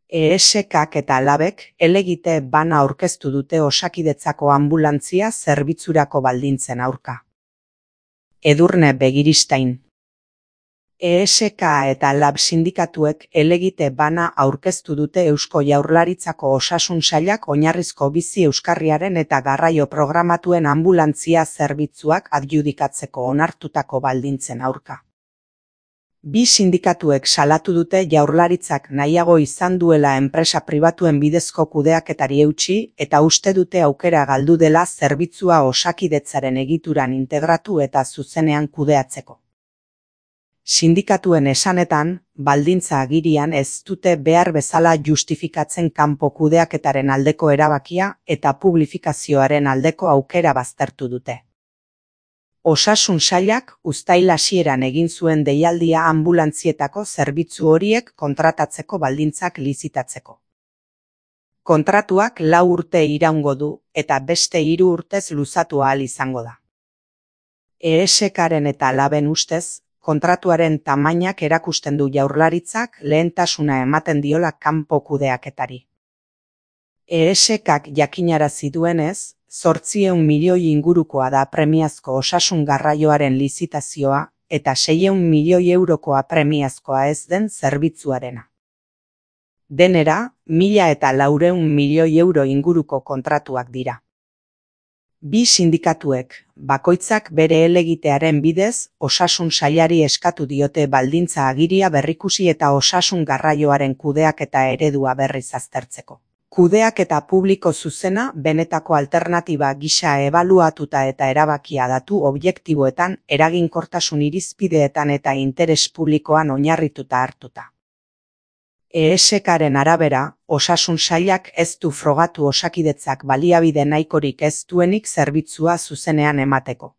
ESKak eta Labek helegite bana aurkeztu dute Osakidetzako anbulantzia zerbitzurako baldintzen aurka. Edurne Begiristain. ESK eta Lab sindikatuek helegite bana aurkeztu dute Eusko Jaurlaritzako Osasun Sailak oinarrizko bizi euskarriaren eta garraio programatuen anbulantzia zerbitzuak adjudikatzeko onartutako baldintzen aurka. Bi sindikatuek salatu dute Jaurlaritzak nahiago izan duela enpresa pribatuen bidezko kudeaketari eutsi eta uste dute aukera galdu dela zerbitzua Osakidetzaren egituran integratu eta zuzenean kudeatzeko. Sindikatuen esanetan, baldintza agirian ez dute behar bezala justifikatzen kanpo kudeaketaren aldeko erabakia eta publifikazioaren aldeko aukera baztertu dute. Osasun Sailak uztail hasieran egin zuen deialdia anbulantzietako zerbitzu horiek kontratatzeko baldintzak lizitatzeko. Kontratuak 4 urte iraungo du eta beste 3 urtez luzatu ahal izango da. ESKaren eta Laben ustez, kontratuaren tamainak erakusten du Jaurlaritzak lehentasuna ematen diola kanpo kudeaketari. ESKak jakinarazi duenez, 800 milioi ingurukoa da premiazko osasun garraioaren lizitazioa eta 600 milioi eurokoa premiazkoa ez den zerbitzuarena. Denera, 1.400 milioi euro inguruko kontratuak dira. Bi sindikatuek, bakoitzak bere helegitearen bidez, Osasun Sailari eskatu diote baldintza agiria berrikusi eta osasun garraioaren kudeaketa eredua berriz aztertzeko. Kudeaketa publiko zuzena benetako alternatiba gisa ebaluatuta eta erabakia datu objektiboetan, eraginkortasun irizpideetan eta interes publikoan oinarrituta hartuta. ESKaren arabera, Osasun Sailak ez du frogatu Osakidetzak baliabide nahikorik ez duenik zerbitzua zuzenean emateko.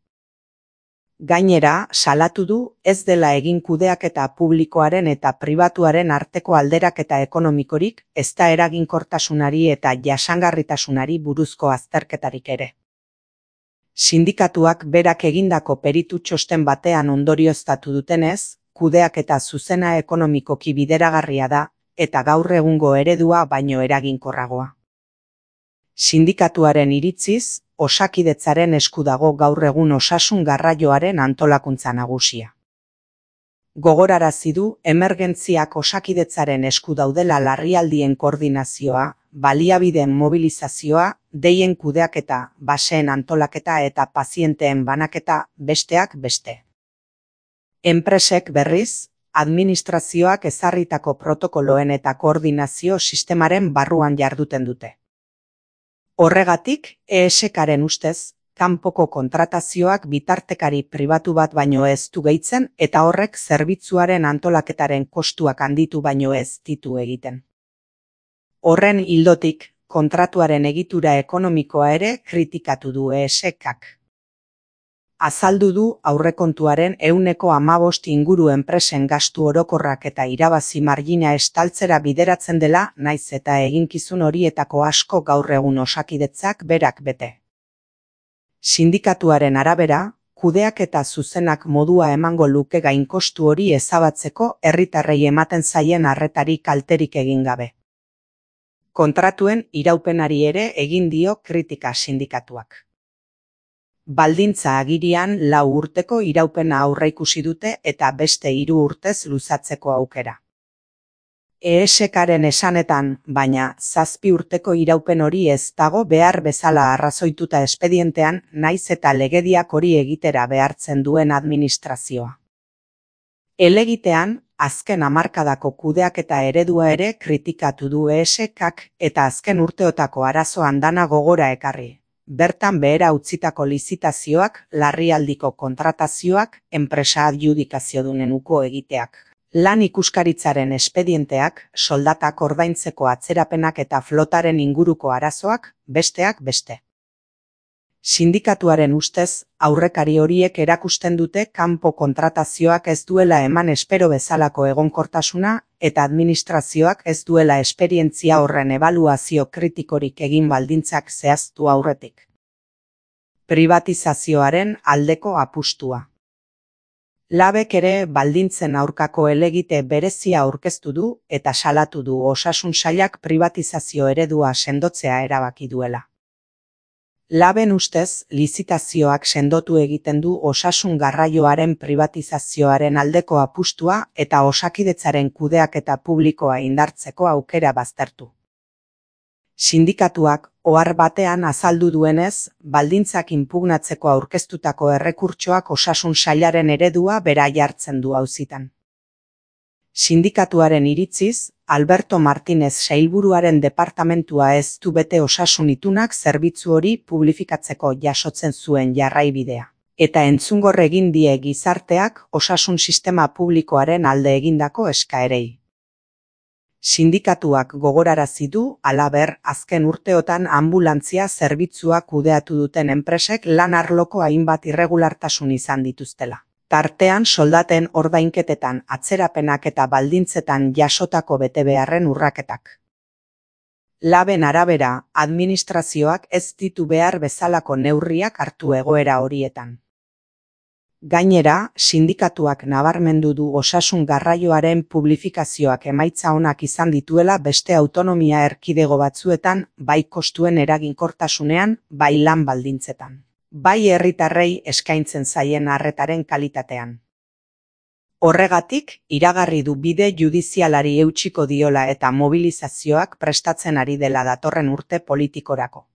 Gainera, salatu du ez dela egin kudeaketa publikoaren eta pribatuaren arteko alderaketa ekonomikorik, ezta eraginkortasunari eta jasangarritasunari buruzko azterketarik ere. Sindikatuak berak egindako peritu txosten batean ondorioztatu dutenez, kudeaketa zuzena ekonomikoki bideragarria da, eta gaur egungo eredua baino eraginkorragoa. Sindikatuaren iritziz, Osakidetzaren esku dago gaur egun osasun garraioaren antolakuntza nagusia. Gogorarazi du emergentziak Osakidetzaren esku daudela larrialdien koordinazioa, baliabideen mobilizazioa, deien kudeaketa, baseen antolaketa eta pazienteen banaketa, besteak beste. Enpresek berriz, administrazioak ezarritako protokoloen eta koordinazio sistemaren barruan jarduten dute. Horregatik, ESKaren ustez, kanpoko kontratazioak bitartekari pribatu bat baino ez du gehitzen eta horrek zerbitzuaren antolaketaren kostuak handitu baino ez ditu egiten. Horren ildotik, kontratuaren egitura ekonomikoa ere kritikatu du ESKak. Azaldu du aurrekontuaren 15% inguru enpresen gastu orokorrak eta irabazi margina estaltzera bideratzen dela, naiz eta eginkizun horietako asko gaur egun Osakidetzak berak bete. Sindikatuaren arabera, kudeaketa zuzenak modua emango luke gainkostu hori ezabatzeko herritarrei ematen zaien arretari kalterik egin gabe. Kontratuen iraupenari ere egin dio kritika sindikatuak. Baldintza agirian 4 urteko iraupena aurreikusi dute eta beste 3 urtez luzatzeko aukera. ESKaren esanetan, baina 7 urteko iraupen hori ez dago behar bezala arrazoituta espedientean, naiz eta legediak hori egitera behartzen duen administrazioa. Helegitean, azken hamarkadako kudeaketa eredua ere kritikatu du ESKak eta azken urteotako arazo andana gogora ekarri. Bertan behera utzitako lizitazioak, larrialdiko kontratazioak, enpresa adjudikaziodunen uko egiteak. Lan ikuskaritzaren espedienteak, soldatak ordaintzeko atzerapenak eta flotaren inguruko arazoak, besteak beste. Sindikatuaren ustez, aurrekari horiek erakusten dute kanpo kontratazioak ez duela eman espero bezalako egonkortasuna eta administrazioak ez duela esperientzia horren ebaluazio kritikorik egin baldintzak zehaztu aurretik. Privatizazioaren aldeko apustua. Labek ere baldintzen aurkako helegite berezia aurkeztu du eta salatu du osasun sailak pribatizazio eredua sendotzea erabaki duela. Laben ustez, lizitazioak sendotu egiten du osasun garraioaren pribatizazioaren aldeko apustua eta Osakidetzaren kudeaketa publikoa indartzeko aukera baztertu. Sindikatuak, ohar batean azaldu duenez, baldintzak inpugnatzeko aurkeztutako errekurtsoak osasun sailaren eredua bera jartzen du auzitan. Sindikatuaren iritziz, Alberto Martínez sailburuaren departamentua ez du bete osasun itunak zerbitzu hori publifikatzeko jasotzen zuen jarraibidea. Eta entzungor egin die gizarteak osasun sistema publikoaren alde egindako eskaerei. Sindikatuak gogorarazi du, halaber, azken urteotan anbulantzia zerbitzua kudeatu duten enpresek lan arloko hainbat irregulartasun izan dituztela. Tartean soldaten ordainketetan, atzerapenak eta baldintzetan jasotako betebeharren urraketak. Laben arabera, administrazioak ez ditu behar bezalako neurriak hartu egoera horietan. Gainera, sindikatuak nabarmendu du osasun garraioaren publifikazioak emaitza onak izan dituela beste autonomia erkidego batzuetan, bai kostuen eraginkortasunean, bai lan baldintzetan. Bai herritarrei eskaintzen zaien arretaren kalitatean. Horregatik, iragarri du bide judizialari eutsiko diola eta mobilizazioak prestatzen ari dela datorren urte politikorako.